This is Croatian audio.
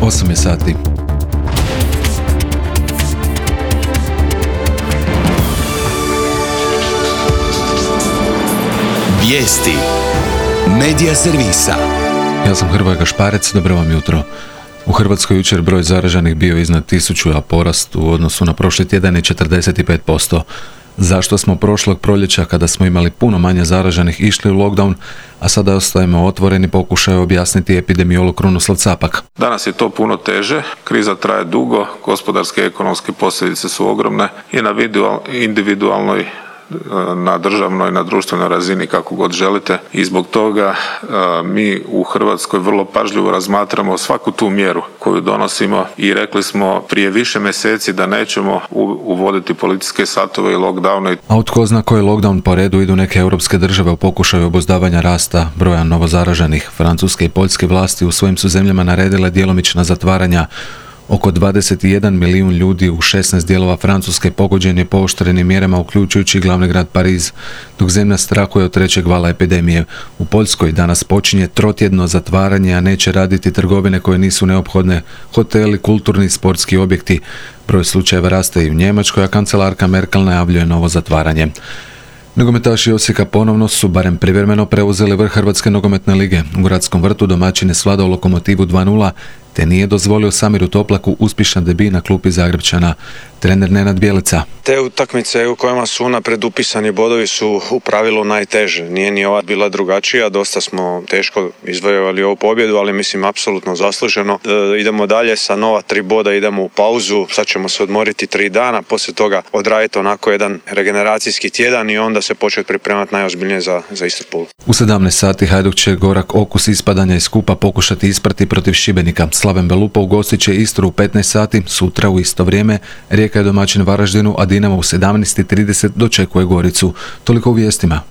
8 je sati. Vijesti Medija servisa. Ja sam Hrvoje Gašparec, dobro vam jutro. U Hrvatskoj jučer broj zaraženih bio iznad 1000, a porast u odnosu na prošli tjedan je 45%. Zašto smo prošlog proljeća, kada smo imali puno manje zaraženih, išli u lockdown, a sada ostajemo otvoreni, pokušaju objasniti epidemiolog Krunoslav Capak. Danas je to puno teže, kriza traje dugo, gospodarske i ekonomske posljedice su ogromne i na individualnoj, na državnoj, na društvenoj razini, kako god želite, i zbog toga mi u Hrvatskoj vrlo pažljivo razmatramo svaku tu mjeru koju donosimo i rekli smo prije više mjeseci da nećemo uvoditi policijske satove i lockdowne. A od tko zna koji lockdown po redu idu neke europske države u pokušaju obuzdavanja rasta broja novozaraženih. Francuske i poljske vlasti u svojim su zemljama naredile djelomična zatvaranja. Oko 21 milijun ljudi u 16 dijelova Francuske pogođen je pooštrenim mjerama, uključujući glavni grad Pariz, dok zemlja strahuje od trećeg vala epidemije. U Poljskoj danas počinje trotjedno zatvaranje, a neće raditi trgovine koje nisu neophodne, hoteli, kulturni i sportski objekti. Broj slučajeva raste i u Njemačkoj, a kancelarka Merkel najavljuje novo zatvaranje. Nogometaši Osijeka ponovno su, barem privremeno, preuzeli vrh Hrvatske nogometne lige. U Gradskom vrtu domaćin je svladao Lokomotivu 2:0, te nije dozvolio Samiru Toplaku uspješan debij na klupi Zagrepčana. Trener Nenad Bjelica. Te utakmice u kojima su unaprijed upisani bodovi su u pravilu najteže. Nije ni ova bila drugačija, dosta smo teško izvojevali ovu pobjedu, ali mislim apsolutno zasluženo. Idemo dalje sa nova 3 boda, idemo u pauzu, sad ćemo se odmoriti 3 dana, poslije toga odraditi onako jedan regeneracijski tjedan i onda se početi pripremati najozbiljnije za Istrpulu. U 17 sati Hajduk će gorak okus ispadanja iz kupa pokušati isprati protiv Šibenika. Slaven Belupa ugostit će Istru u 15 sati, sutra u isto vrijeme Rijeka je domaćin Varaždinu, a Dinamo u 17:30 dočekuje Goricu. Toliko u vijestima.